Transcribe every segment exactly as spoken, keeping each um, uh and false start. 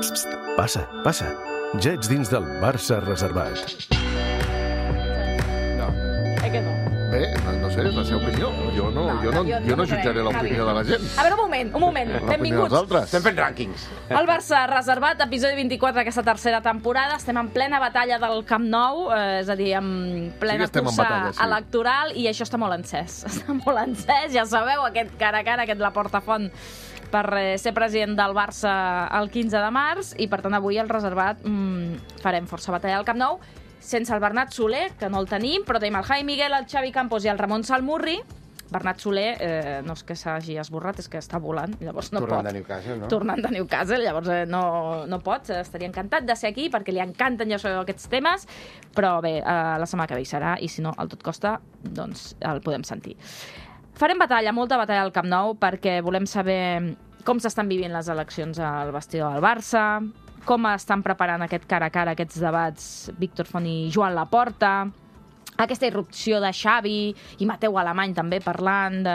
Passa, passa. Ja ets dins del Barça reservat. No. Eh que no? Bé, no, no sé, és la seva opinió. Jo no, No, jo no, no, jo- jo jo no no jutjaré crec. l'opinió de la gent. A veure, un moment, un moment. L'opinió dels Benvinguts. altres. Estem fent rànquings. El Barça reservat, episodi vint-i-quatre d'aquesta tercera temporada. Estem en plena batalla del Camp Nou, eh, és a dir, en Sí plena que estem en cursa batalla, sí. electoral, i això està molt encès. Està molt encès, ja sabeu, aquest cara a cara, aquest la portafont per eh, ser president del Barça el quinze de març, i per tant avui el reservat mmm, farem força batalla al Camp Nou, sense el Bernat Soler, que no el tenim, però tenim el Javi Miguel, el Xavi Campos i el Ramon Salmurri. Bernat Soler, eh, no és que s'hagi esborrat, és que està volant, llavors no Tornant pot. de Newcastle, no? Tornant de Newcastle, llavors eh, no, no pot. Estaria encantat de ser aquí, perquè li encanten, ja sabeu, aquests temes, però bé, eh, la setmana que ve hi serà, i si no, al tot costa, doncs el podem sentir. Farem batalla, molta batalla al Camp Nou, perquè volem saber com s'estan vivint les eleccions al vestidor del Barça, com estan preparant aquest cara a cara, aquests debats Víctor Font i Joan Laporta, aquesta irrupció de Xavi i Mateu Alemany també parlant de,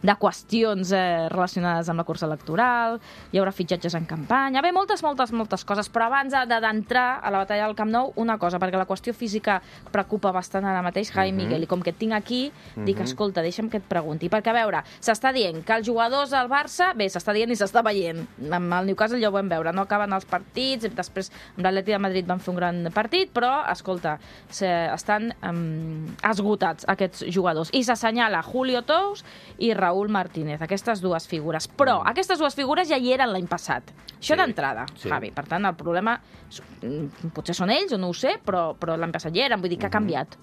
de qüestions eh, relacionades amb la cursa electoral, hi haurà fitxatges en campanya, bé, moltes, moltes, moltes coses, però abans d'entrar a la batalla del Camp Nou, una cosa, perquè la qüestió física preocupa bastant ara mateix, Javi Mhm. Miguel, i com que et tinc aquí, dic, Mhm. escolta, deixa'm que et pregunti, perquè a veure, s'està dient que els jugadors del Barça, bé, s'està dient i s'està veient, amb el Newcastle ja ho vam veure, no acaben els partits, després amb l'Atleti de Madrid van fer un gran partit, però, escolta, se, estan um, esgotats aquests jugadors. I s'assenyala Julio Tous i Raúl Martínez, aquestes dues figures. Però mm. aquestes dues figures ja hi eren l'any passat. Això Sí, d'entrada, sí. Javi. Per tant, el problema mm, potser són ells, o no ho sé, però, però l'any passat hi eren. Vull dir, que ha canviat.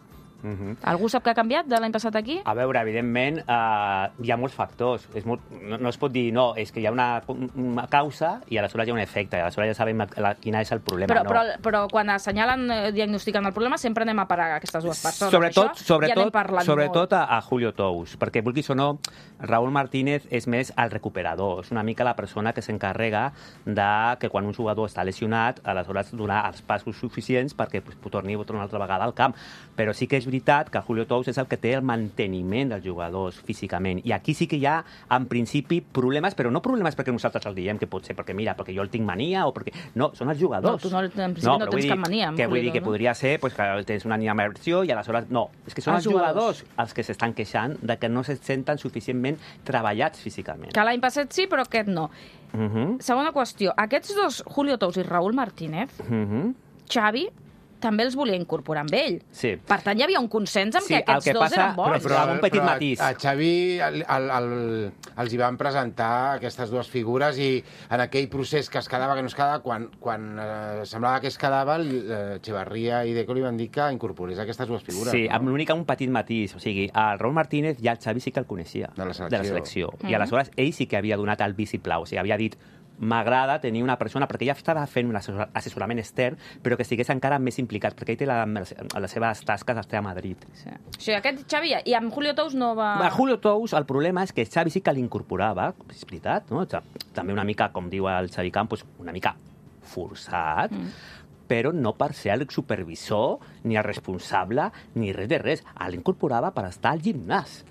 Mhm. Algú sap què ha canviat de l'any passat aquí? A veure, evidentment, eh, hi ha molts factors. És molt, no, no es pot dir, no, és que hi ha una, una causa i aleshores hi ha un efecte, i aleshores ja sabem la, quin és el problema. Però, no. però, però quan assenyalen, eh, diagnostiquen el problema, sempre anem a parar a aquestes dues persones. Sobretot, Això sobretot, ja n'hem parlat sobretot molt. a, a Julio Tous, perquè vulguis o no, Raúl Martínez és més el recuperador, és una mica la persona que s'encarrega de que quan un jugador està lesionat, aleshores donar els passos suficients perquè pues, torni una altra vegada al camp. Però sí que és veritat que Julio Tous és el que té el manteniment dels jugadors físicament. I aquí sí que hi ha, en principi, problemes, però no problemes perquè nosaltres el diem, que pot ser perquè, mira, perquè jo el tinc mania o perquè... No, són els jugadors. No, tu no, en principi no, no però tens vull cap dir mania. amb Que vull Julio dir que Tous, no? podria ser pues, que tens una animació i aleshores... No, és que són Els els, jugadors. els que s'estan queixant de que no se senten suficientment treballats físicament. Que l'any passat sí, però aquest no. Uh -huh. Segona qüestió. Aquests dos, Julio Tous i Raúl Martínez, Uh -huh. Xavi també els volia incorporar amb ell. Sí. Per tant, hi havia un consens amb Sí, que el aquests que dos passa- eren bons. però- amb un petit però matís. A, a Xavi el, el, el, els hi van presentar aquestes dues figures i en aquell procés que es quedava, que no es quedava, quan, quan eh, semblava que es quedava, eh, Echevarría i Deco li van dir que incorporés aquestes dues figures. Sí, no? amb l'únic un petit matís. O sigui, el Raúl Martínez ja el Xavi sí que el coneixia. De la selecció. De la selecció. Mhm. I aleshores ell sí que havia donat el vistiplau. O sigui, havia dit m'agrada tenir una persona, perquè ja estava fent un assessor- assessorament extern, però que estigués encara més implicat, perquè ell té la, les seves tasques està a Madrid. Sí. O sigui, aquest Xavi, ja- i amb Julio Tous no va... A Julio Tous, el problema és que Xavi sí que l'incorporava, és veritat, no? També una mica, com diu el Xavi Campos, una mica forçat, mm. però no per ser el supervisor, ni el responsable, ni res de res. L'incorporava per estar al gimnàs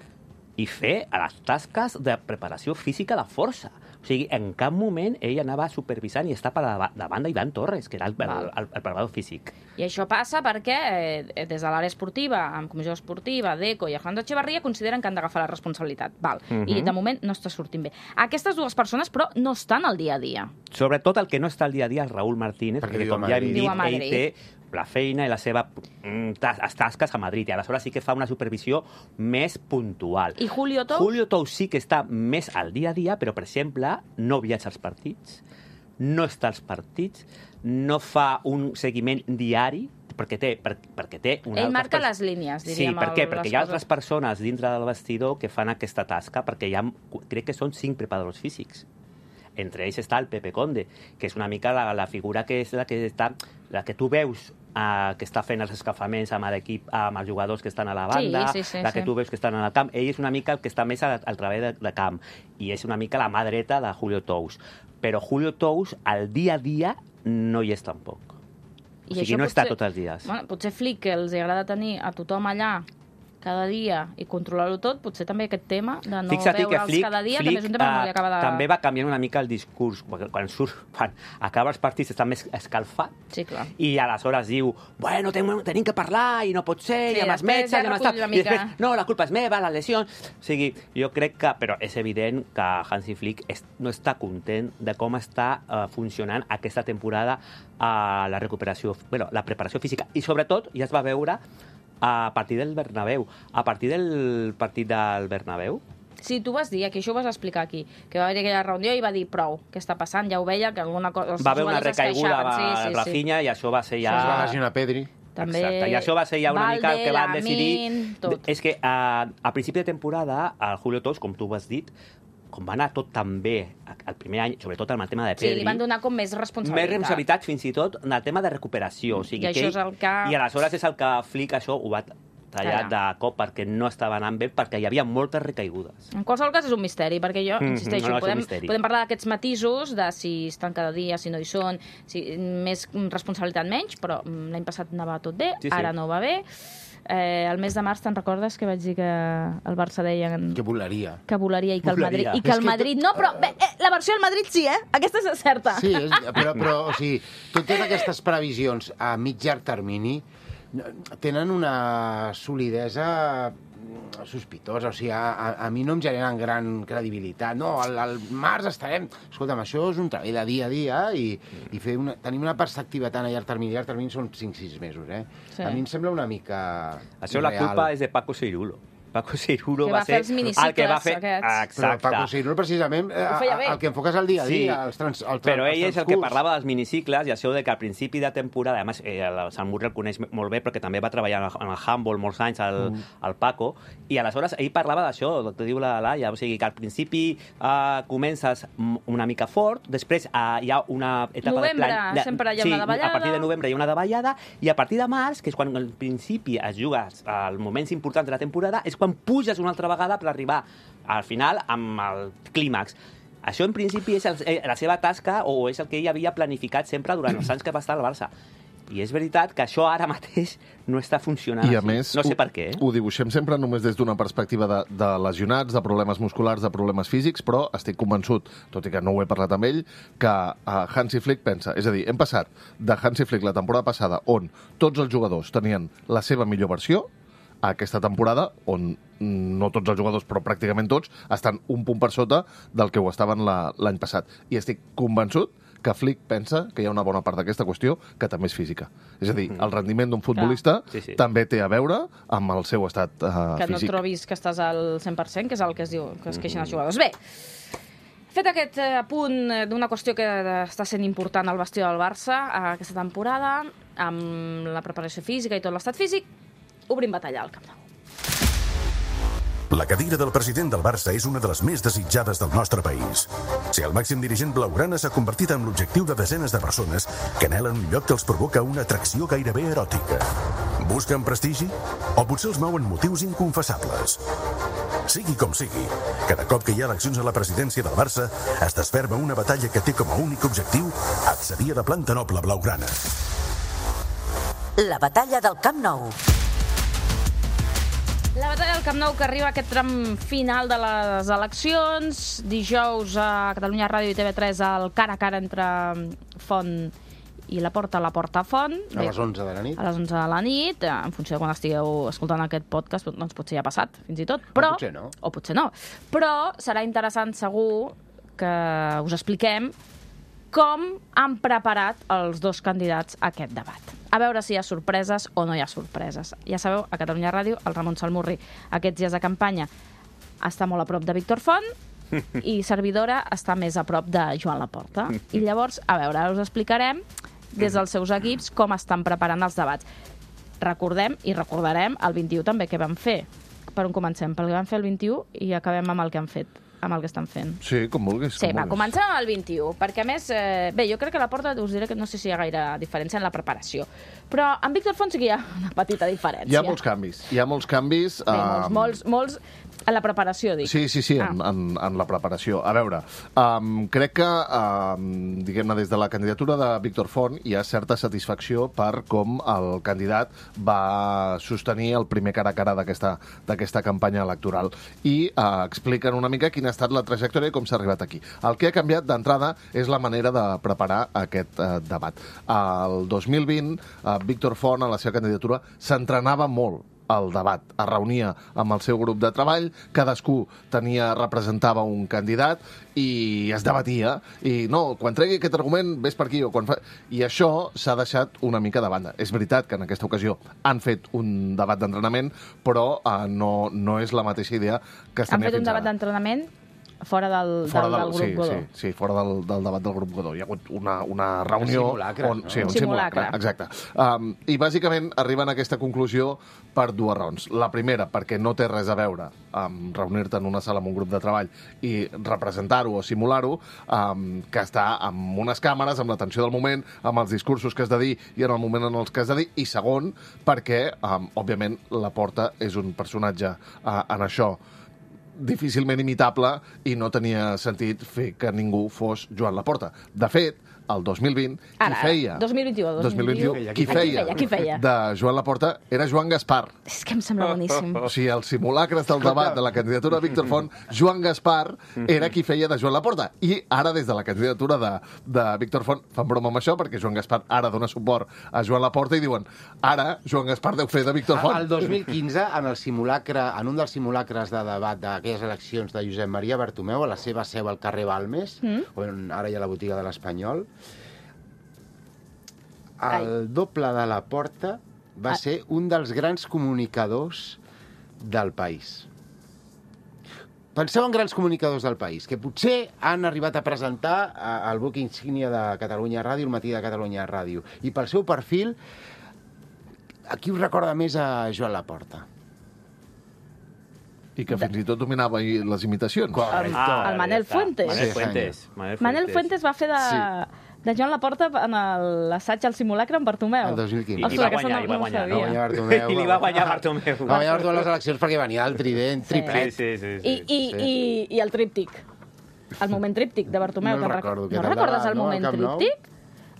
i fer les tasques de preparació física de força. O sigui, en cap moment ell anava supervisant i està per davant d'Ivan Torres, que era el, el, el, el preparador físic. I això passa perquè eh, des de l'àrea esportiva, amb comissió esportiva, Deco i Alejandro Echevarría, consideren que han d'agafar la responsabilitat. Val. Mhm. I de moment no està sortint bé. Aquestes dues persones, però, no estan al dia a dia. Sobretot el que no està al dia a dia és Raúl Martínez, Perquè perquè, viu a com ja hem Madrid. dit, Viu a ell Madrid. té la feina i la seva mm, tas les tasques a Madrid, i aleshores sí que fa una supervisió més puntual. I Julio Tous? Julio Tous sí que està més al dia a dia, però, per exemple, no viatja als partits, no està als partits, no fa un seguiment diari, perquè té, per, perquè té una Ell altres marca pers- les línies, Sí, diríem. per què? el- Perquè les hi ha coses. altres persones dintre del vestidor que fan aquesta tasca, perquè hi ha, crec que són cinc preparadors físics. Entre ells està el Pepe Conde, que és una mica la, la figura que és la que està, la que tu veus uh, que està fent els escalfaments amb l'equip, amb els jugadors que estan a la banda, Sí, sí, sí, la que sí. tu veus que estan al camp. Ell és una mica el que està més al, al treball de, de camp, i és una mica la mà dreta de Julio Tous. Però Julio Tous, al dia a dia, no hi és tampoc. O I sigui, això no està potser- tots els dies. Bueno, potser Flick, que els agrada tenir a tothom allà cada dia i controlar-ho tot, potser també aquest tema de no Fixa't que veure'ls Flick, cada dia Flick, també és un tema que no li acaba de... també va canviant una mica el discurs. Quan, quan, surt, quan acaba els partits està més escalfat Sí, clar. i aleshores diu, bueno, tenim, tenim que parlar i no pot ser, Sí, i amb els després metges, ja i amb els recull tal. una I mica. després, no, la culpa és meva, les lesions... O sigui, jo crec que... Però és evident que Hansi Flick és, no està content de com està uh, funcionant aquesta temporada a la recuperació, bueno, la preparació física. I sobretot, ja es va veure a partir del Bernabéu. A partir del partit del Bernabéu, Sí, tu vas dir, aquí això ho vas explicar aquí, que va haver aquella reunió i va dir prou, què està passant? Ja ho veia, que alguna cosa... va haver una recaiguda a sí, sí, sí. Rafinha i això va ser ja... Es va lesionar Pedri. També Exacte, i això va ser ja una Valde, mica el que van decidir. Lamin, tot. És que a, a principi de temporada, el Julio Tous, com tu has dit, com va anar tot tan bé el primer any, sobretot amb el tema de Sí, Pedri, li van donar com més responsabilitat. més responsabilitat fins i tot en el tema de recuperació. O sigui, I això és el que- I aleshores és el que Flick això ho va tallar de cop perquè no estava anant bé, perquè hi havia moltes recaigudes. En qualsevol cas és un misteri, perquè jo, Mm, insisteixo, no, és un podem, misteri. podem parlar d'aquests matisos, de si estan cada dia, si no hi són, si més responsabilitat menys, però mm, l'any passat anava tot bé, Sí, sí. ara no va bé. Eh, el mes de març, te'n recordes que vaig dir que el Barça deia Que volaria. que volaria i que el Volaria. Madrid... I que És el que Madrid... No, però bé, eh, la versió del Madrid sí, eh? Aquesta és certa. Sí, és, però, però o sigui, totes aquestes previsions a mig llarg termini tenen una solidesa sospitosa, o sigui, a, a, a mi no em generen gran credibilitat. No, al, al març estarem... Escolta'm, això és un treball de dia a dia i, i fer una, tenim una perspectiva tan a llarg termini. A llarg termini són cinc sis mesos, eh? Sí. A mi em sembla una mica Això la irreal. culpa és de Paco Cirulo. Paco Cirulo Que va va fer ser els minicicles el que va fer... aquests. Però Exacte. Paco Cirulo, precisament, eh, Ho feia bé. el que enfoques al dia a dia, Sí, els trans, el, però els ell és el que transcurs. parlava dels minicicles i això de que al principi de temporada, a més, eh, el Sant Murri el coneix molt bé perquè també va treballar en el handball molts anys, el, Mm. el Paco, i aleshores ell parlava d'això, el que diu la Laia, o sigui que al principi eh, comences m- una mica fort, després eh, hi ha una etapa Novembre, de plan... sempre hi ha sí, una davallada. a partir de novembre hi ha una davallada, i a partir de març, que és quan al principi es juga als moments importants de la temporada, és quan puges una altra vegada per arribar al final amb el clímax. Això, en principi, és el, eh, la seva tasca o és el que ell havia planificat sempre durant els anys que va estar al Barça. I és veritat que això ara mateix no està funcionant I a així. més, no sé ho, per què. Eh? ho dibuixem sempre només des d'una perspectiva de, de lesionats, de problemes musculars, de problemes físics, però estic convençut, tot i que no ho he parlat amb ell, que uh, Hansi Flick pensa... És a dir, hem passat de Hansi Flick la temporada passada, on tots els jugadors tenien la seva millor versió, a aquesta temporada, on no tots els jugadors, però pràcticament tots, estan un punt per sota del que ho estaven la- l'any passat. I estic convençut que Flick pensa que hi ha una bona part d'aquesta qüestió que també és física. És a dir, el rendiment d'un futbolista Sí, sí. també té a veure amb el seu estat uh, Que no físic. trobis que estàs al cent per cent, que és el que es diu, que es queixen els jugadors. Bé, fet aquest eh, apunt eh, d'una qüestió que eh, està sent important al vestidor del Barça eh, aquesta temporada, amb la preparació física i tot l'estat físic, obrim batalla al Camp Nou. La cadira del president del Barça és una de les més desitjades del nostre país. Ser el màxim dirigent blaugrana s'ha convertit en l'objectiu de desenes de persones que anhelen un lloc que els provoca una atracció gairebé eròtica. Busquen prestigi? O potser els mouen motius inconfessables? Sigui com sigui, cada cop que hi ha eleccions a la presidència del Barça es desferma una batalla que té com a únic objectiu accedir a la planta noble blaugrana. La batalla del Camp Nou. La batalla del Camp Nou, que arriba a aquest tram final de les eleccions. Dijous a Catalunya Ràdio i T V tres el cara a cara entre Font i la Porta, la Porta Font. A les onze de la nit. A les onze de la nit, en funció de quan estigueu escoltant aquest podcast, doncs potser ja ha passat, fins i tot. Però, O potser no. O potser no. Però serà interessant, segur, que us expliquem com han preparat els dos candidats a aquest debat. A veure si hi ha sorpreses o no hi ha sorpreses. Ja sabeu, a Catalunya Ràdio, el Ramon Salmurri, aquests dies de campanya, està molt a prop de Víctor Font i servidora està més a prop de Joan Laporta. I llavors, a veure, ara us explicarem des dels seus equips com estan preparant els debats. Recordem i recordarem el vint-i-u també que vam fer. Per on comencem? Pel que vam fer el vint-i-u i acabem amb el que han fet, amb el que estan fent. Sí, com vulguis. Sí, com va, vulguis. comencem amb el vint-i-u, perquè a més, eh, bé, jo crec que a la Porta us diré que no sé si hi ha gaire diferència en la preparació, però amb Víctor Font sí que hi ha una petita diferència. Hi ha molts canvis. Hi ha molts canvis. Bé, eh, molts, molts, molts, A la preparació, dic. Sí, sí, sí, Ah. en, en, en la preparació. A veure, um, crec que, um, diguem-ne, des de la candidatura de Víctor Font hi ha certa satisfacció per com el candidat va sostenir el primer cara a cara d'aquesta d'aquesta campanya electoral. I uh, expliquen una mica quina ha estat la trajectòria i com s'ha arribat aquí. El que ha canviat d'entrada és la manera de preparar aquest uh, debat. El dos mil vint, uh, Víctor Font, a la seva candidatura, s'entrenava molt el debat. Es reunia amb el seu grup de treball, cadascú tenia, representava un candidat i es debatia. I no, quan tregui aquest argument, ves per aquí. O quan fa... I això s'ha deixat una mica de banda. És veritat que en aquesta ocasió han fet un debat d'entrenament, però uh, no, no és la mateixa idea que es Han tenia fet un fins debat ara. d'entrenament fora del, Fora del, del, del grup sí, Godó. sí, sí, fora del, del debat del grup Godó. Hi ha hagut una, una reunió... simulacre, on, no? Sí, un Simulacre. simulacre, exacte. Um, I bàsicament arriben a aquesta conclusió per dues raons. La primera, perquè no té res a veure amb reunir-te en una sala amb un grup de treball i representar-ho o simular-ho, um, que està amb unes càmeres, amb l'atenció del moment, amb els discursos que has de dir i en el moment en els que has de dir. I segon, perquè, um, òbviament, Laporta és un personatge uh, en això difícilment imitable i no tenia sentit fer que ningú fos Joan Laporta. De fet, el dos mil vint, qui Ara, feia... dos mil vint-i-u, dos mil vint-i-u, qui Qui feia, feia, qui feia? de Joan Laporta era Joan Gaspar. És que em sembla boníssim. O sigui, el simulacre del debat de la candidatura de Víctor Font, Joan Gaspar era qui feia de Joan Laporta. I ara, des de la candidatura de, de Víctor Font, fan broma amb això, perquè Joan Gaspar ara dona suport a Joan Laporta i diuen, ara Joan Gaspar deu fer de Víctor Font. El dos mil quinze, en el simulacre, en un dels simulacres de debat d'aquelles eleccions de Josep Maria Bartomeu, a la seva seu al carrer Balmes, mm. on ara hi ha la botiga de l'Espanyol, el doble de la Porta va Ah. ser un dels grans comunicadors del país. Penseu en grans comunicadors del país, que potser han arribat a presentar el buc insígnia de Catalunya Ràdio, el matí de Catalunya Ràdio. I pel seu perfil, a qui us recorda més a Joan Laporta? I que fins i tot dominava les imitacions. El, el Manel Fuentes. Manel Sí, Fuentes. Manel Manel Fuentes va fer de, de Joan Laporta en el- l'assaig al simulacre amb Bartomeu. El dos mil quinze. I va aquesta guanyar, no- i va no ho guanyar. sabia. Va guanyar Bartomeu. I li va guanyar Bartomeu. Va guanyar Bartomeu les eleccions perquè venia el trident, triplet. Sí, sí, sí. I, i, i, i el tríptic. El moment tríptic de Bartomeu. No que el en rec- recordo, que No era recordes endavant, el no, al moment Camp Nou? tríptic?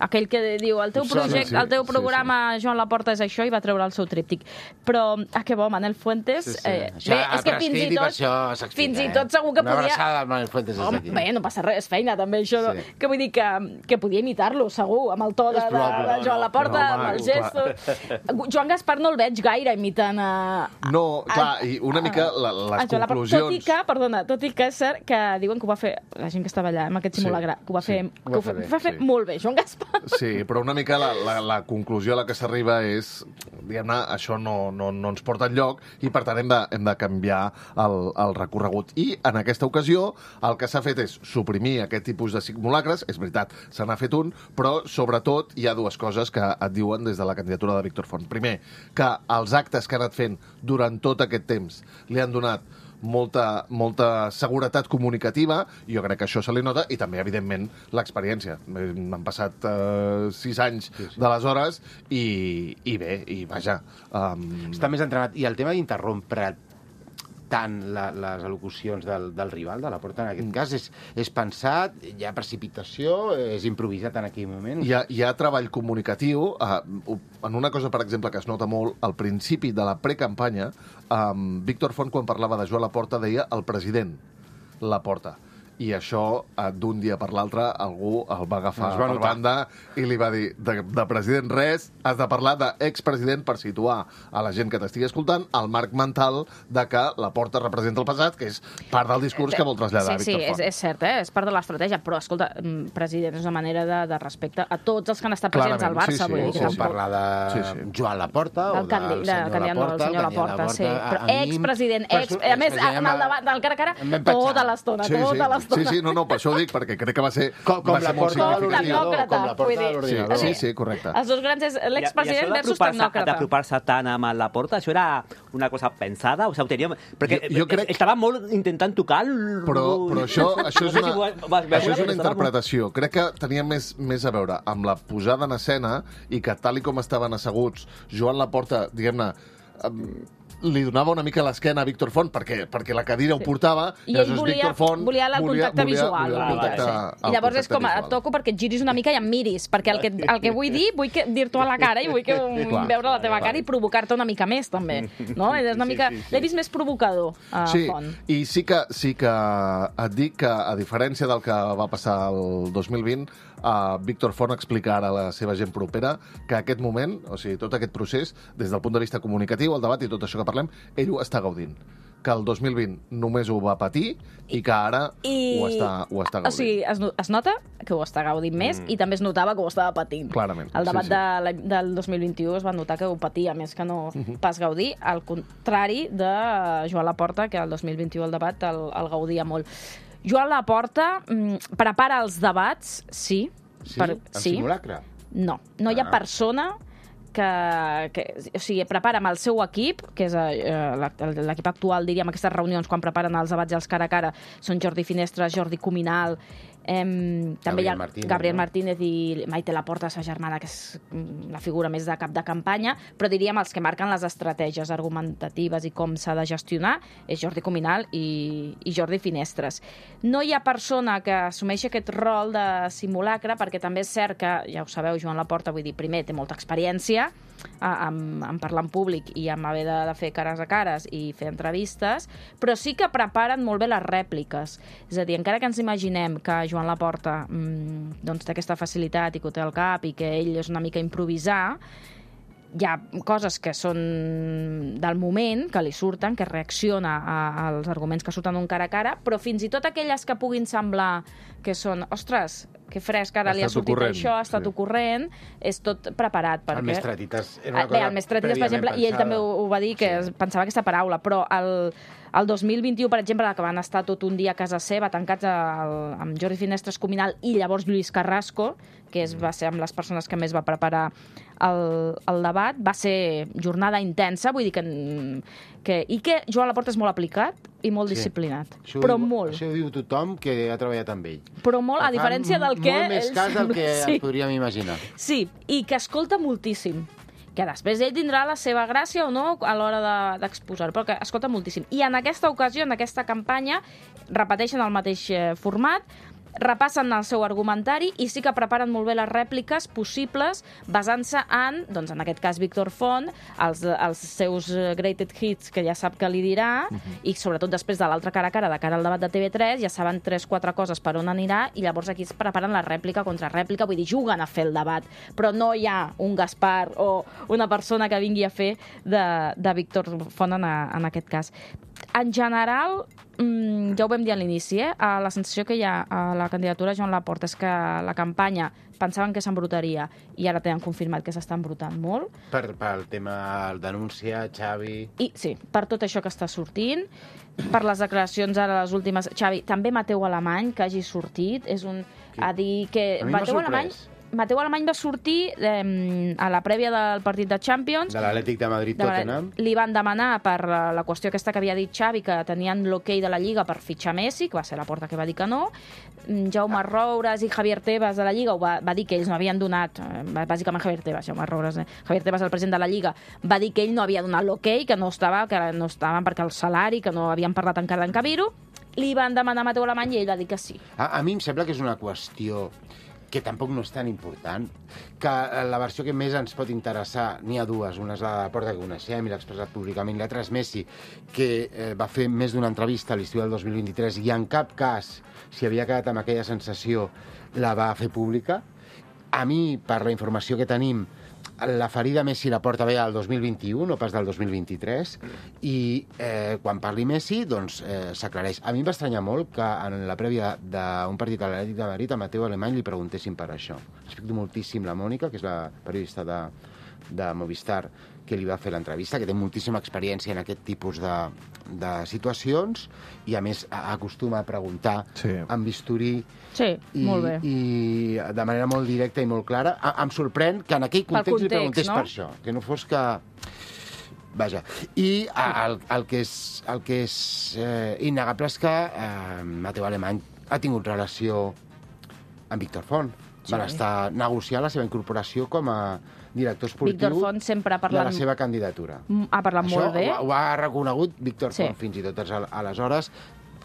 Aquell que diu, el teu, Em sona, projecte, sí, el teu sí, programa, Joan Laporta, és això, i va treure el seu tríptic. Però, ah, que bo, Manel Fuentes... Sí, sí. Eh, Això bé, ha és que fins i prescrit i per tot... això s'explica, fins i eh? tot segur que Una podia... abraçada al Manel Fuentes des Home, d'aquí. bé, no passa res, és feina, també, això. Sí. Que vull dir que, que podia imitar-lo, segur, amb el to de, És de, probable, de Joan no, Laporta, no, amb home, els gestos... Joan Gaspar no el veig gaire imitant a... No, clar, i una mica la, les a Joan Laporta. conclusions... Tot i que, perdona, tot i que és cert que diuen que ho va fer, la gent que estava allà, amb aquest Sí, simulacre, que ho va sí, fer, ho que va ho fer fa- bé, va fer sí. molt bé, Joan Gaspar. Sí, però una mica la, la, la conclusió a la que s'arriba és, diguem-ne, això no, no, no ens porta enlloc i, per tant, hem de, hem de canviar el, el recorregut. I, en aquesta ocasió, el que s'ha fet és suprimir aquest tipus de simulacres. És veritat, se n'ha fet un, però, sobretot, hi ha dues coses que et diuen des de la candidatura de Víctor Font. Primer, que els actes que ha anat fent durant tot aquest temps li han donat molta, molta seguretat comunicativa, i jo crec que això se li nota, i també, evidentment, l'experiència. M'han passat eh, sis anys sí, sí. d'aleshores i, i bé, i vaja... Um... Està més entrenat. I el tema d'interrompre tant la, les al·locucions del, del rival, de la Porta, en aquest cas, és, és pensat, hi ha precipitació, és improvisat en aquell moment. Hi ha, hi ha treball comunicatiu. Uh, en una cosa, per exemple, que es nota molt, al principi de la precampanya, um, Víctor Font, quan parlava de Joan Laporta, deia el president Laporta. I això, uh, d'un dia per l'altre, algú el va agafar Es va per notar. banda i li va dir, de, de president res, has de parlar d'expresident per situar a la gent que t'estigui escoltant el marc mental de que Laporta representa el passat, que és part del discurs que vol traslladar sí, sí, Víctor és, Font. és cert, eh? És part de l'estratègia, però, escolta, mm, president, és una manera de, de respecte a tots els que han estat presents al Clarament, sí, Barça. sí, vull dir O que sí, com sí. tampoc... parlar de Sí, sí. Joan Laporta o Del candi- del de senyor candidat, no, del Laporta. senyor el candidat Laporta, sí. a- Però a mi- expresident, perso- ex... A més, expresident en el debat del cara a cara, em vam petxar. tota l'estona, Sí, sí, tota l'estona. sí, sí, no, no, per això ho dic, perquè crec que va ser, Com, com va la ser molt porta de significatiu. l'ordinador. Com la porta vull de dir, l'ordinador. Sí, sí, correcte. Els dos grans és l'expresident versus tecnòcrata. D'apropar-se tant amb el Laporta, això era una cosa pensada? O sigui, ho tenia... Perquè Jo- jo crec- estava molt intentant tocar el... Però, però això, això, és No sé una, si ho vas- vas veure, això és però una estava molt- interpretació. Crec que tenia més, més a veure amb la posada en escena i que, tal i com estaven asseguts, Joan Laporta, diguem-ne, em, li donava una mica l'esquena a Víctor Font perquè, perquè la cadira ho portava, I i ell aleshores volia, Víctor Font volia el contacte volia, visual. Volia el contacte, sí. el I llavors és contacte com, visual. et toco perquè et giris una mica i em miris, perquè el que, el que vull dir, vull que, dir-t'ho a la cara i vull que, Clar, veure la teva clar. cara i provocar-te una mica més, també. No? És una mica... L'he vist més provocador, a Sí, Font. i sí que, sí que et dic que, a diferència del que va passar el dos mil vint, uh, Víctor Font explica ara a la seva gent propera que aquest moment, o sigui, tot aquest procés, des del punt de vista comunicatiu, el debat i tot això que parlem, ell ho està gaudint. Que el dos mil vint només ho va patir i que ara I... ho, està, ho està gaudint. O sigui, es, no- es nota que ho està gaudint més mm. i també es notava que ho estava patint. Clarament, El debat sí, sí. De la, del dos mil vint-i-u es va notar que ho patia, més que no Mhm. pas gaudir, al contrari de Joan Laporta, que el dos mil vint-i-u el debat el, el gaudia molt. Joan Laporta mm, prepara els debats, sí. Sí? En simulacre? No, no hi ha Ah. persona que, que, o sigui, prepara amb el seu equip, que és eh, l'equip actual, diríem, aquestes reunions quan preparen els debats i els cara a cara, són Jordi Finestres, Jordi Cuminal, eh, també hi ha Gabriel Martínez, Gabriel no? Martínez i Maite Laporta, sa germana, que és mm, la figura més de cap de campanya, però diríem els que marquen les estratègies argumentatives i com s'ha de gestionar és Jordi Cuminal i, i Jordi Finestres. No hi ha persona que assumeixi aquest rol de simulacre, perquè també és cert que, ja ho sabeu, Joan Laporta, vull dir, primer, té molta experiència a- en, en parlar en públic i en haver de, de fer cares a cares i fer entrevistes, però sí que preparen molt bé les rèpliques. És a dir, encara que ens imaginem que Joan Laporta mmm, doncs, té aquesta facilitat i que ho té al cap i que ell és una mica improvisar, hi ha coses que són del moment, que li surten, que reacciona a, als arguments que surten d'un cara a cara, però fins i tot aquelles que puguin semblar que són, ostres, que fresc, ara Ha li ha estat sortit ocorrent, això, ha estat sí. ocorrent, és tot preparat. Perquè... El Mestratitas era Ah, una Bé, cosa el Mestratitas, per exemple, i ell també ho, ho va dir, que Sí. sí. pensava aquesta paraula, però el, el dos mil vint-i-u, per exemple, que van estar tot un dia a casa seva, tancats al, amb Jordi Finestres Cuminal i llavors Lluís Carrasco, que és, va ser amb les persones que més va preparar el, el debat, va ser jornada intensa, vull dir que, que... I que Joan Laporta és molt aplicat i molt Sí. disciplinat, Això però ho diu, molt. Això ho diu tothom que ha treballat amb ell. Però molt, a Fa diferència del que... Molt més ell cas del sembla- que sí. ens podríem imaginar. Sí, i que escolta moltíssim. Que després ell tindrà la seva gràcia o no a l'hora de- d'exposar, però que escolta moltíssim. I en aquesta ocasió, en aquesta campanya, repeteixen el mateix eh, format, repassen el seu argumentari i sí que preparen molt bé les rèpliques possibles basant-se en, doncs en aquest cas Víctor Font, els, els seus eh, greatest hits que ja sap que li dirà uh -huh. i sobretot després de l'altra cara a cara, de cara al debat de T V tres, ja saben tres quatre coses per on anirà i llavors aquí es preparen la rèplica contra rèplica, vull dir, juguen a fer el debat, però no hi ha un Gaspar o una persona que vingui a fer de, de Víctor Font en, a, en aquest cas. En general, mm, ja ho vam dir a l'inici, eh? la sensació que hi ha a la candidatura de Joan Laporta és que la campanya pensaven que s'embrutaria i ara tenen confirmat que s'està embrutant molt. Per, pel tema el denúncia, Xavi... I sí, per tot això que està sortint, per les declaracions ara les últimes... Xavi, també Mateu Alemany, que hagi sortit, és un... a dir que... A mi m'ha Mateu Alemany, sorprès. Mateu Alemany va sortir eh, a la prèvia del partit de Champions, De l'Atlètic de Madrid, de Tottenham. li van demanar per la, la qüestió aquesta que havia dit Xavi, que tenien l'hoquei de la Lliga per fitxar Messi, que va ser la porta que va dir que no. Mm, Jaume Roures i Javier Tebas de la Lliga ho va, va dir que ells no havien donat, eh, bàsicament Javier Tebas, Jaume Roures, eh, Javier Tebas, el president de la Lliga, va dir que ell no havia donat l'hoquei, que no estava, que no estaven perquè el salari, que no havien parlat encara d'encabir-ho. Li van demanar a Mateu Alemany i ell va dir que sí. A, a mi em sembla que és una qüestió que tampoc no és tan important, que la versió que més ens pot interessar, n'hi ha dues, una és la de Porta que coneixem i l'ha expressat públicament, l'altra és Messi, que eh, va fer més d'una entrevista a l'estiu del dos mil vint-i-tres i en cap cas, si havia quedat amb aquella sensació, la va fer pública. A mi, per la informació que tenim, la ferida Messi la porta bé al dos mil vint-i-u, no pas del dos mil vint-i-tres, i eh, quan parli Messi, doncs eh, s'aclareix. A mi em va estranyar molt que en la prèvia d'un partit a l'Atlètic de Madrid a Mateu Alemany li preguntessin per això. Respecto moltíssim la Mònica, que és la periodista de, de Movistar, que li va fer l'entrevista, que té moltíssima experiència en aquest tipus de, de situacions i, a més, a- acostuma a preguntar Sí. amb bisturí Sí, i, molt bé. i de manera molt directa i molt clara. A, em sorprèn que en aquell context, context, li preguntés no? per això, que no fos que... Vaja, i a, el, el que és, el que és eh, innegable és que eh, Mateu Alemany ha tingut relació amb Víctor Font. Sí. Van estar negociant la seva incorporació com a director Víctor esportiu Font sempre ha de parlat, la seva candidatura. ha parlat Això molt bé. ho, ho ha reconegut Víctor Sí. Font, fins i tot al- aleshores.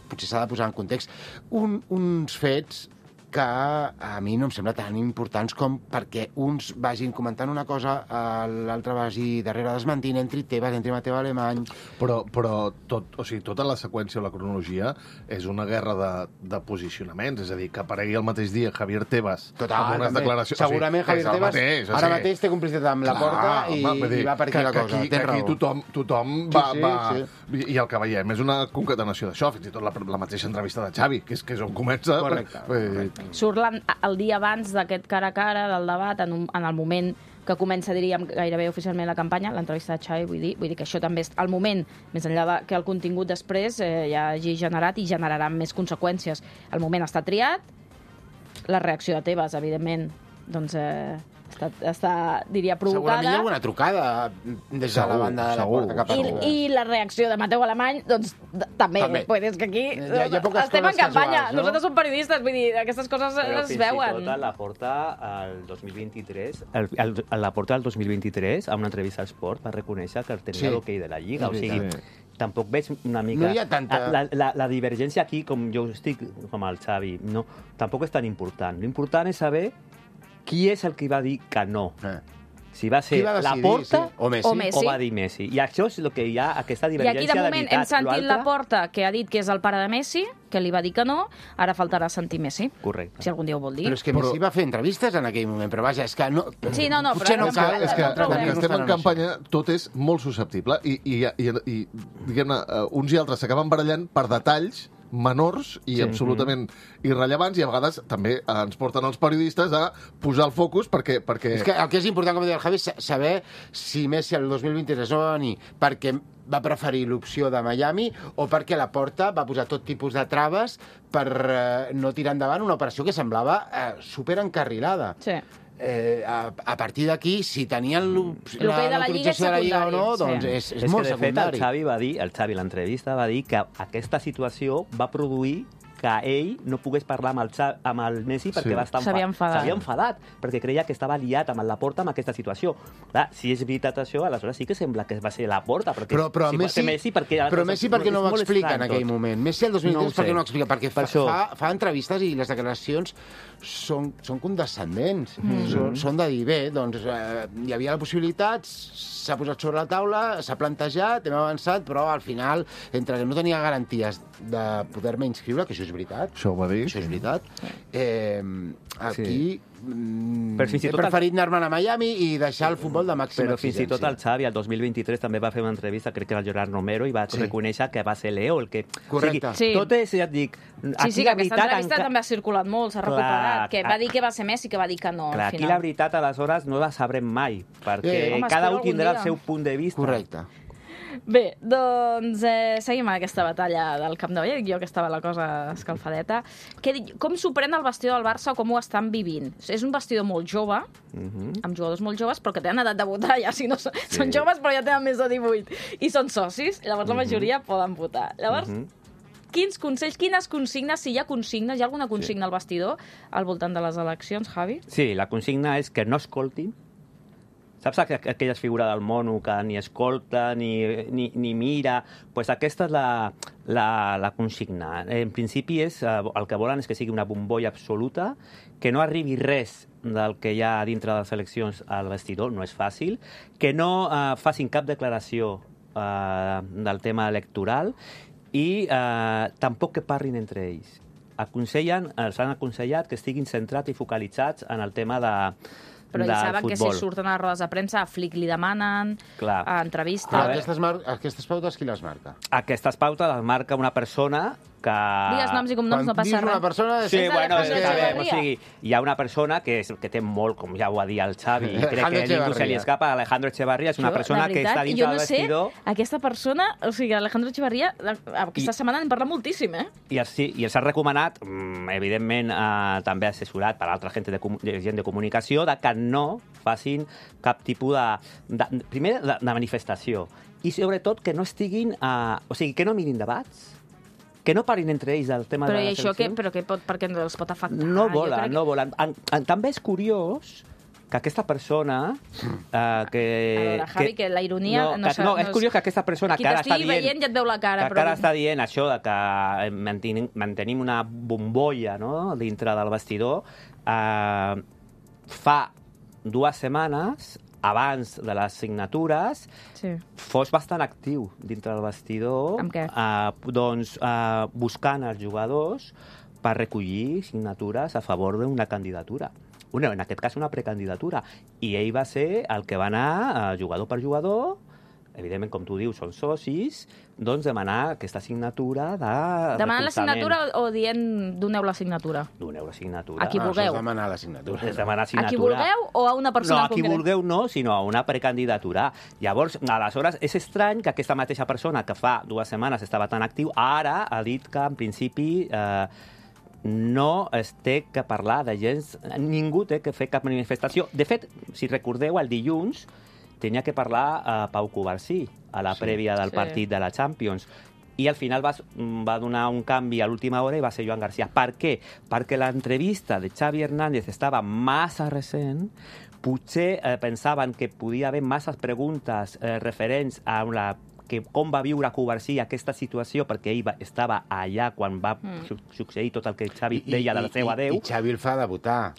Potser s'ha de posar en context. Un, uns fets que a mi no em sembla tan importants com perquè uns vagin comentant una cosa, eh, l'altre vagi darrere desmentint, entri Tebas, entri Mateu Alemany... Però, però tot, o sigui, tota la seqüència o la cronologia és una guerra de, de posicionaments, és a dir, que aparegui el mateix dia Javier Tebas Total, amb unes també. declaracions... Segurament o sigui, Javier és el Tebas mateix, o ara sigui, mateix té complicitat amb la clar, porta i, home, vull dir i va per aquí que, la que cosa. Aquí, Tens que aquí raó. tothom, tothom Sí, va... sí, va sí. I el que veiem és una concatenació d'això, fins i tot la, la mateixa entrevista de Xavi, que és, que és on comença... Correcte, Correcte. Surt la, el dia abans d'aquest cara a cara, del debat, en, un, en el moment que comença, diríem, gairebé oficialment la campanya, l'entrevista de Xavi, vull dir, vull dir que això també és el moment, més enllà de que el contingut després eh, ja hagi generat i generarà més conseqüències. El moment està triat, la reacció de Tebas, evidentment, doncs eh, està, està, diria, provocada. Segurament hi ha alguna trucada des de Segur, la banda de la segur. porta cap a I, Tebas. I la reacció de Mateu Alemany, doncs, d- també. També. Pues és que aquí Hi ha- hi ha poques estem en coses campanya. casuals, no? Nosaltres som periodistes, vull dir, aquestes coses Però es fins veuen. i tot a la porta al dos mil vint-i-tres, el, el, a la porta del dos mil vint-i-tres, a una entrevista al Sport, va reconèixer que tenia Sí. l'hoquei de la Lliga. És O sigui, veritat. tampoc veig una mica... No hi ha tanta- La, la, la divergència aquí, com jo estic, com el Xavi, no, tampoc és tan important. L'important és saber qui és el que va dir que no. Eh. Si va ser Qui va la decidir, Porta sí? O Messi. O Messi. o va dir Messi. I això és el que hi ha, aquesta I divergència aquí, de moment, de hem veritat. sentit L'altre- la Porta, que ha dit que és el pare de Messi, que li va dir que no, ara faltarà sentir Messi, Correcte. si algun dia ho vol dir. Però és que Però- Messi va fer entrevistes en aquell moment, però vaja, és que no... Sí, no, no, potser però no no cal... cal- És que, no com trobem. que estem en campanya, tot és molt susceptible i, i, i, i diguem-ne, eh, uns i altres s'acaben barallant per detalls menors i Sí. absolutament irrellevants i a vegades també ens porten els periodistes a posar el focus perquè... perquè... És que el que és important, com deia el Javi, és saber si Messi el dos mil vint-i-tres no va venir perquè va preferir l'opció de Miami o perquè la Porta va posar tot tipus de traves per eh, no tirar endavant una operació que semblava eh, superencarrilada. Sí. Eh, a, a partir d'aquí, si tenien l'op- L'hoquei de la Lliga és l'autorització de la Lliga o no, secundari, doncs sí. és, és, És molt que, de fet, el secundari. Xavi va dir, el Xavi, a l'entrevista, va dir que aquesta situació va produir que ell no pogués parlar amb el, Xavi, amb el Messi perquè Sí. va estar S'havia enfadat. S'havia enfadat, perquè creia que estava liat amb la Porta amb aquesta situació. Clar, si és veritat això, aleshores sí que sembla que va ser la Porta, perquè Però, però, si va Messi, ser Messi, perquè... però Messi per què no ho és molt explica en estrany aquell tot. moment? Messi el dos mil No ho vint-i-tres per què sé. no ho explica? Perquè fa, Per això. fa, fa entrevistes i les declaracions són, són condescendents. Mm. Són, són de dir, bé, doncs eh, hi havia la possibilitat, s'ha posat sobre la taula, s'ha plantejat, hem avançat, però al final, entre que no tenia garanties de poder-me inscriure, que això és veritat, Això ho va dir. això és veritat, eh, aquí... Mm, Però fins i he tot el- preferit anar-me'n a Miami i deixar el futbol de màxima Però fins i tot exigència. el Xavi, el dos mil vint-i-tres, també va fer una entrevista, crec que era el Gerard Romero, i va Sí. reconèixer que va ser Leo el que... Correcte. O sigui, Sí. tot és, ja et dic... Sí, sí, que aquesta entrevista enca- també ha circulat molt, s'ha Clar, recuperat, que va clar. dir que va ser Messi, que va dir que no, Clar, al aquí final. la veritat, aleshores, no la sabrem mai, perquè Eh, home, cada espero un tindrà algun el dia. seu punt de vista. Correcte. Bé, doncs eh, seguim amb aquesta batalla del Camp Nou. Ja dic jo que estava la cosa escalfadeta. Què, di- com s'ho pren el vestidor del Barça o com ho estan vivint? És un vestidor molt jove, Mhm. amb jugadors molt joves, però que tenen edat de votar, ja si no són, sí. són joves però ja tenen més de divuit, i són socis, llavors la majoria poden votar. Llavors, Mhm. quins consells, quines consignes, si hi ha consignes, hi ha alguna consigna al vestidor al voltant de les eleccions, Javi? Sí, la consigna és que no escoltin. Saps aqu- aquella figura del mono que ni escolta ni, ni, ni mira? Pues aquesta és la, la, la consigna. En principi, és, eh, el que volen és que sigui una bombolla absoluta, que no arribi res del que hi ha dintre de les eleccions al vestidor, no és fàcil, que no eh, facin cap declaració eh, del tema electoral i eh, tampoc que parlin entre ells. Aconsellen, els han aconsellat que estiguin centrats i focalitzats en el tema de, Però del ells saben que si futbol. surten a les rodes de premsa, a Flick li demanen, Clar. a entrevistes... Però A veure. aquestes, mar aquestes pautes qui les marca? Aquestes pautes les marca una persona que... Digues noms i cognoms, no Quan dius passa una res. persona... Sí, És bueno, Alejandro està bé, o Echeverría. sigui, hi ha una persona que, és, que té molt, com ja ho va dir el Xavi, i crec Alejandro que a ningú se li Echeverría. escapa, Alejandro Echeverría és una Jo, persona de que veritat, està jo dintre no del sé, vestidor aquesta persona, o sigui, Alejandro Echeverría, aquesta I- setmana n'hem parlat moltíssim, eh? i, els, sí, i els ha recomanat, mm, evidentment, eh, també assessorat per altra gent de, comu- de, gent de comunicació, de que no facin cap tipus de... de primer, de, de manifestació. I sobretot que no estiguin... Eh, o sigui, que no mirin debats, que no parlin entre ells del tema Però de i les això que, eleccions. però que pot, perquè els pot afectar? No Jo volen, crec no volen. En, en, també és curiós que aquesta persona... Eh, que, a veure, Javi, que la ironia... No, no, que, no, és curiós que aquesta persona aquí que ara està t'estigui dient... veient i et veu la cara, que però... ara està dient això de que mantenim, mantenim una bombolla, no?, dintre del vestidor, eh, fa dues setmanes, abans de les signatures, Sí. fos bastant actiu dintre del vestidor, Amb què? eh, doncs, eh, buscant els jugadors per recollir signatures a favor d'una candidatura. Una, en aquest cas, una precandidatura. I ell va ser el que va anar, eh, jugador per jugador, evidentment, com tu dius, són socis, doncs demanar aquesta signatura de Demanant la recolzament. signatura o, o dient doneu la signatura? Doneu la signatura. A qui Ah, vulgueu. això és demanar la signatura. És demanar A signatura. qui vulgueu o a una persona No, en a qui concret? vulgueu no, sinó a una precandidatura. Llavors, aleshores, és estrany que aquesta mateixa persona que fa dues setmanes estava tan actiu, ara ha dit que, en principi, eh, no es té que parlar de gens... Ningú té que fer cap manifestació. De fet, si recordeu, el dilluns tenia que parlar a Pau Covarsí, a la Sí. prèvia del Sí. partit de la Champions. I al final va, va donar un canvi a l'última hora i va ser Joan García. Per què? Perquè l'entrevista de Xavi Hernández estava massa recent, potser eh, pensaven que podia haver masses preguntes eh, referents a la que com va viure Covarsí aquesta situació, perquè ell va, estava allà quan va Mm. su succeir tot el que Xavi deia de la seva adeu. I, i Xavi el fa debutar.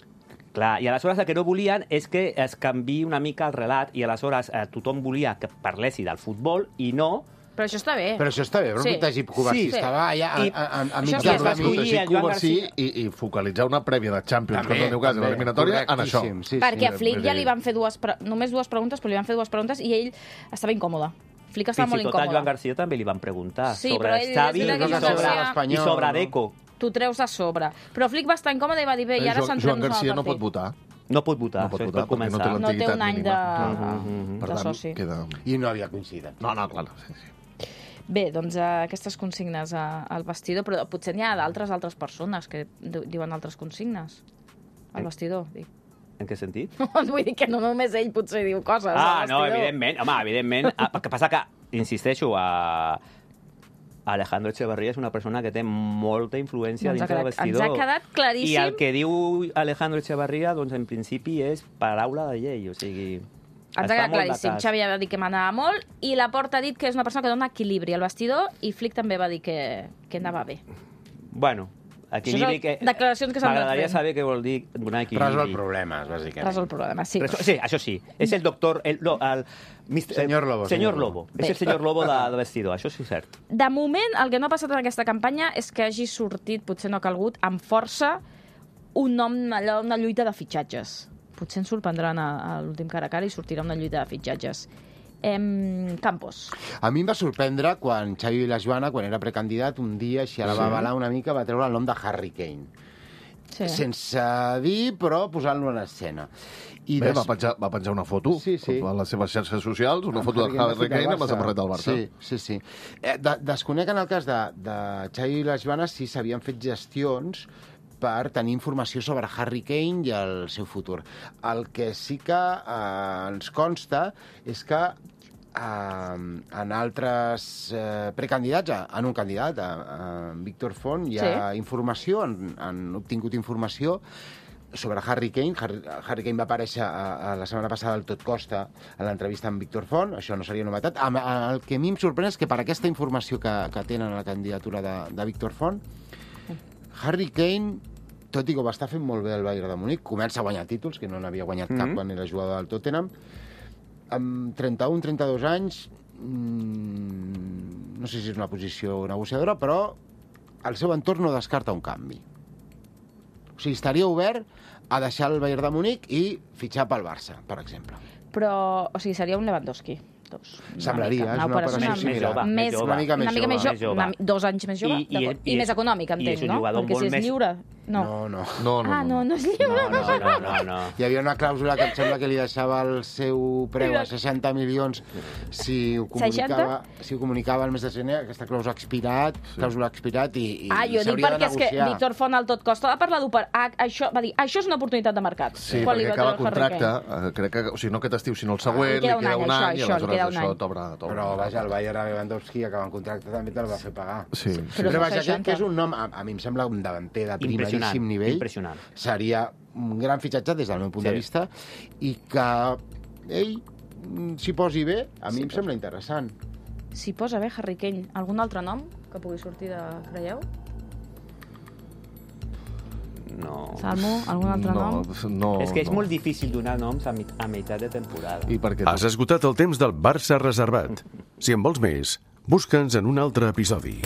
Clar, i aleshores el que no volien és que es canviï una mica el relat i aleshores eh, tothom volia que parlessi del futbol i no... Però això està bé. Però això està bé, però Sí. protegir Covarsí. Sí. Estava allà a, I- a, a, a Això mitjà sí, es va de escollir Protegir el Joan Covarsí García. i, i focalitzar una prèvia de Champions També, contra el Newcastle a també, l'eliminatòria en això. correctíssim, sí, Perquè sí. a Flick vull ja dir- li van fer dues pre... només dues preguntes, però li van fer dues preguntes i ell estava incòmode. Flick estava Fins molt i tot a incòmode. Joan García també li van preguntar Sí, sobre però ell- Xavi és i veritat que sobre, Joan García- i sobre Deco. Tu treus a sobre. Però Flick va estar incòmode i va dir, bé, i ara Joan, centrem-nos Joan en el García no partit. pot votar. No pot votar, No pot això votar és per perquè no té començar. No té l'antiguitat un any de, mínima. Mhm, Per de tant, soci. queda... I no havia coincidit. No, no, clar. Sí, sí. Bé, doncs uh, aquestes consignes uh, al vestidor, però potser n'hi ha d'altres altres persones que di- diuen altres consignes al vestidor. Dic. En què sentit? Vull dir que no només ell potser diu coses Ah, al no, vestidor. evidentment. Home, evidentment. Ah, el que passa que, insisteixo, a... Alejandro Echeverría és una persona que té molta influència Doncs ha dintre del quedat- vestidor. ens ha quedat claríssim. I el que diu Alejandro Echeverría, doncs, en principi, és paraula de llei. O sigui, Ens ha està quedat molt de claríssim. cas. Xavi ha dit que manava molt i Laporta ha dit que és una persona que dona equilibri al vestidor i Flick també va dir que, que anava bé. Bueno, equilibri Això que... són declaracions que s'han anat M'agradaria fent. saber què vol dir donar equilibri. Resol problemes, bàsicament. Resol el problema, sí. Resol- Sí, això sí. És el doctor... El, no, el, mister, Senyor Lobo, Senyor senyor Lobo. Bé. És el senyor Lobo de, de vestidor, això sí és cert. De moment, el que no ha passat en aquesta campanya és que hagi sortit, potser no ha calgut, amb força, un nom, allò, una lluita de fitxatges. Potser ens sorprendran a, a l'últim cara a cara i sortirà una lluita de fitxatges. Em... Campos. A mi em va sorprendre quan Xavi Vilajoana, quan era precandidat, un dia, així a la va avalar una mica, va treure el nom de Harry Kane. Sí. Sense dir, però posant-lo en escena. I Bé, des- va penjar, va penjar una foto Sí, sí. a les seves xarxes socials, una amb foto de Harry Kane Harry Kane amb la Barça. samarreta del Barça. Sí, sí, sí. Eh, de, desconec en el cas de, de Xavi Vilajoana si s'havien fet gestions per tenir informació sobre Harry Kane i el seu futur. El que sí que eh, ens consta és que eh, en altres eh, precandidats, eh, en un candidat, a, a Víctor Font, hi ha Sí. informació, han, han obtingut informació sobre Harry Kane. Harry, Harry Kane va aparèixer a, a la setmana passada al Tot Costa a l'entrevista amb Víctor Font, això no seria novetat. A, a, el que a mi em sorprèn és que per aquesta informació que, que tenen a la candidatura de, de Víctor Font, Harry Kane, tot i que ho va estar fent molt bé el Bayern de Múnich, comença a guanyar títols, que no n'havia guanyat mm -hmm. cap quan era jugador del Tottenham, amb trenta-un trenta-dos anys, mmm, no sé si és una posició negociadora, però el seu entorn no descarta un canvi. O sigui, estaria obert a deixar el Bayern de Múnich i fitxar pel Barça, per exemple. Però, o sigui, seria un Lewandowski. Dos. Una Semblaria, mica, és una operació operació una- similar. jove, més, més jove. Una mica més una mica més jove. jove. Més jove. Una, dos anys més jove. I- i- d'acord. I, i més és- econòmic, i entenc, és un no? jugador Perquè molt si és més- lliure... No. No, no. No, no, Ah, no. no, no és lliure. No, no, no, no, no. Hi havia una clàusula que em sembla que li deixava el seu preu a seixanta milions si ho comunicava, si ho comunicava el mes de gener. Aquesta clàusula ha expirat, clàusula ha expirat i, i Ah, jo dic s'hauria de perquè és que negociar. Víctor Font al tot costa va parlar d'opar... Ah, això, va dir, això és una oportunitat de mercat. Sí, Quan li perquè va acaba treure Harry contracte, Kane. eh, crec que, o sigui, no aquest estiu, sinó el següent, li queda un any, això, i això, li aleshores queda un això any. t'obre... t'obre. Però, vaja, el Bayern a Lewandowski, acabant contracte, també te'l va fer pagar. Sí, sí. Però Però, vaja, que, seixanta. que és un nom, a, a mi em sembla un davanter de Impressionant, primeríssim nivell. impressionant. Seria un gran fitxatge des del meu punt sí. de vista i que ell s'hi posi bé, a mi sí, em sembla interessant. S'hi posa bé Harry Kane. Algun altre nom que pugui sortir de... creieu? No. Salmo, algun altre no, nom? No, és que és no. molt difícil donar noms a, mit a meitat de temporada. I per què? Has esgotat el temps del Barça reservat. Si en vols més, busca'ns en un altre episodi.